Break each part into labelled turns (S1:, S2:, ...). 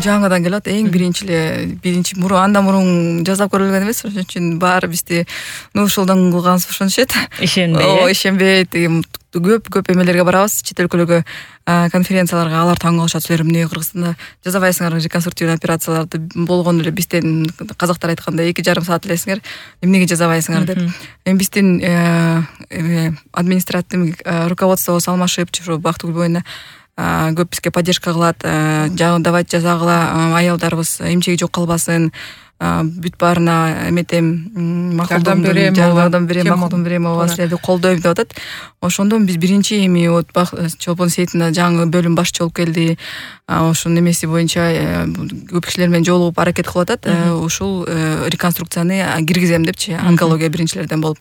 S1: жаңыдан келет. Эң биринчи андан мурун жасап көрүлгөн эмес. Ошон үчүн баары бизди ушулдан кылганбыз ошентишет. Ишенбейт. Көп эмелерге барабыз, чет өлкөлөргө конференцияларга, алар таң калышат. Силер эмне Кыргызстанда жасабайсыңар реконструктивный операцияларды, болгону эле бизден казактар айтканда 2,5 саат элесиңер, эмнеге жасабайсыңар деп. Эми биздин административный руководствобуз алмашып, ушу Бактыгүл боюна көп бизге поддержка кылат. Давайте жазагыла, аялдарыбыз эмчеги жок калбасын, бүт баарына эметем, жардам берем, силерди колдойм деп атат. Ошондон биз биринчи эми Чолпон Сейитина жаңы бөлүм башчы болуп келди. Ошонун эмеси боюнча көп кишилер менен жолугуп аракет кылып атат. Ушул реконструкцияны киргизем депчи, онкология биринчилерден болуп.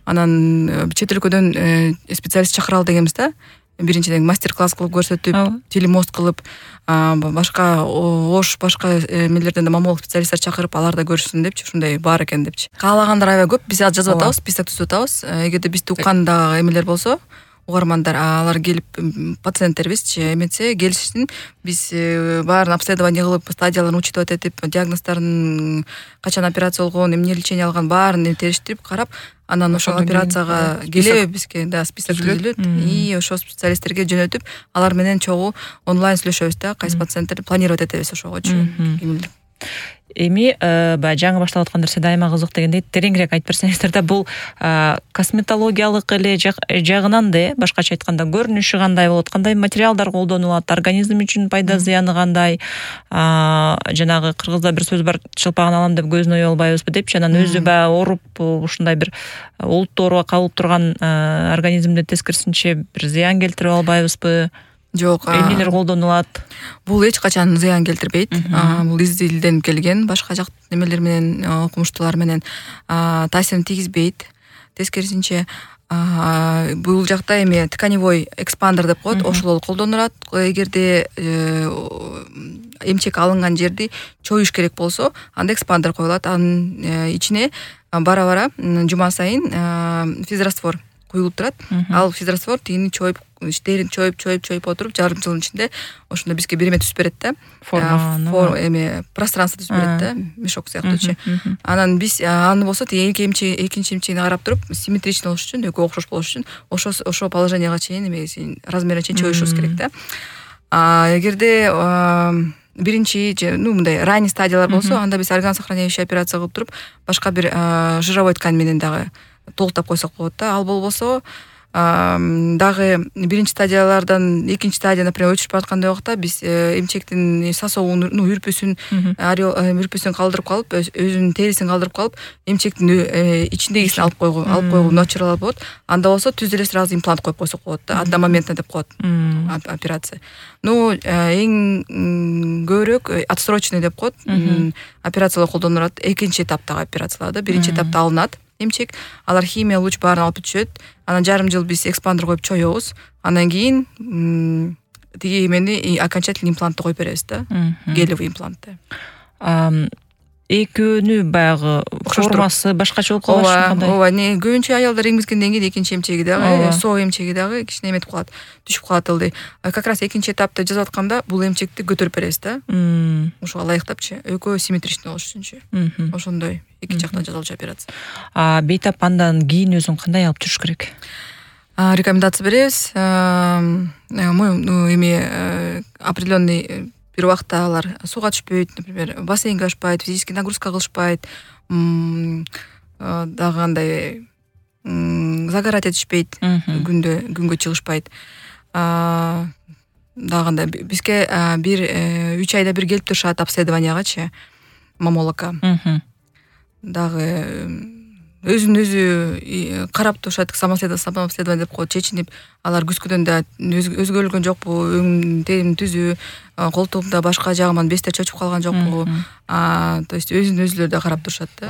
S1: Анан чет өлкөдөн специалист чакыралы дегенбиз да. Биринчиден мастер-класс кылып көрсөтүп, телемост кылып, башка эмелерден да маммолук специалисттер чакырып, алар да көрүшсүн депчи, ушундай бар экен депчи. Каалагандар аябай көп, биз жазып атабыз, список түзүп атабыз. Эгерде бизди уккан дагы эмелер болсо, угармандар, алар келип пациенттерибизчи эметсе, келишсин, биз баарын обследование кылып, стадияларын учитывать этип, диагноздорун, качан операция болгон, эмне лечение алган баарын териштирип карап, анан ошол операцияга келеби бизге список түзүлөт. И ошол специалисттерге жөнөтүп, алар менен чогуу онлайн сүйлөшөбүз да, кайсы пациенттерди планировать этебиз ошогочу. Эми
S2: баягы жаңы баштап аткандар сиз дайыма кызык дегендей тереңирээк айтып берсеңиздер да, бул косметологиялык эле жагынан да, башкача айтканда көрүнүшү кандай болот, кандай материалдар колдонулат, организм үчүн пайда зыяны кандай, жанагы кыргызда бир сөз бар, чылпагын алам деп көзүн оюп албайбызбы депчи, анан өзү баягы ооруп ушундай бир олуттуу ооруга кабылып турган организмде тескерисинче бир зыян келтирип албайбызбы?
S1: Жок.
S2: Эмнелер колдонулат?
S1: Бул эч качан зыян келтирбейт. Бул издилден келген, башка жак немелер менен, окумуштуулар менен таасирин тийгизбейт. Тескерисинче, бул жакта эми тканевой экспандер деп коет, ошол колдонулат. Эгерде эмчек алынган жерди чоюш керек болсо, анда экспандер коюлат. Анын ичине бара-бара жума сайын физраствор куюлуп турат. Ал физраствор тигини чоюп, терин чоюп отуруп, жарым жылдын ичинде ошондо бизге бир эме түзүп берет да. Эме пространство түзүп берет да, мешок сыяктуучу. Анан биз аны болсо экинчи эмчегине карап туруп, симметричный болуш үчүн, экөө окшош болуш үчүн ошо положенияга чейин размерине чейин чоюшубуз керек да. Эгерде биринчи мындай ранний стадиялар болсо, анда биз орган сохраняющий операция кылып туруп, башка бир жировой ткань менен дагы толуктап койсок болот да. Ал болбосо дагы биринчи стадиялардан экинчи стадия, например, өчүрүп бараткандай убакта биз эмчектин сасообун, үрпүсүн калдырып калып, өзүнүн терисин калдырып калып, эмчектин ичиндегисин алып койгу начаралар болот. Анда болсо түз эле сразу имплант коюп койсок болот да, одномоментно деп коет операция. Эң көбүрөөк отсрочный деп коет операциялар колдонулат. Экинчи эtaптагы операциялар да, биринчи этапта алынат эмчек, алар химия луч баарын алып түшөт. Анан жарым жыл биз экспандер коюп чоёбуз. Анан кийин тиги эмени окончательный имплантты коюп беребиз да. Гелевый имплантты.
S2: Экөөнү баягы формасы башкача болуп калышы кандай?
S1: Ооба, көбүнчө аялдар эмизгенден кийин экинчи эмчеги дагы, со эмчеги дагы кичине эметип калат, түшүп калат ылдый. Как раз экинчи этапты жасап атканда бул эмчекти көтөрүп беребиз да. Ошого ылайыктапчы, экөө симметричный болуш үчүнчү. Ошондой эки жактан жасалчу операция.
S2: Бейтап андан кийин өзүн кандай алып жүрүш керек?
S1: Рекомендация беребиз. Эми определенный бир убакта алар сууга түшпөйт, например, бассейнге ашпайт, физический нагрузка кылышпайт, дагы андай загорать этишпейт, күнгө чыгышпайт. Дагы андай бизге бир 3 айда бир келип турушат обследованиягачы, маммологко. Дагы өзүн өзү карап турушат, самообследование деп коет, чечинип, алар күзгүдөн да өзгөрүлгөн жокпу, терим түзүү, колтугумда башка жагыман бездер чочуп калган жокпу, то есть өзүн өзүлөр да карап турушат да.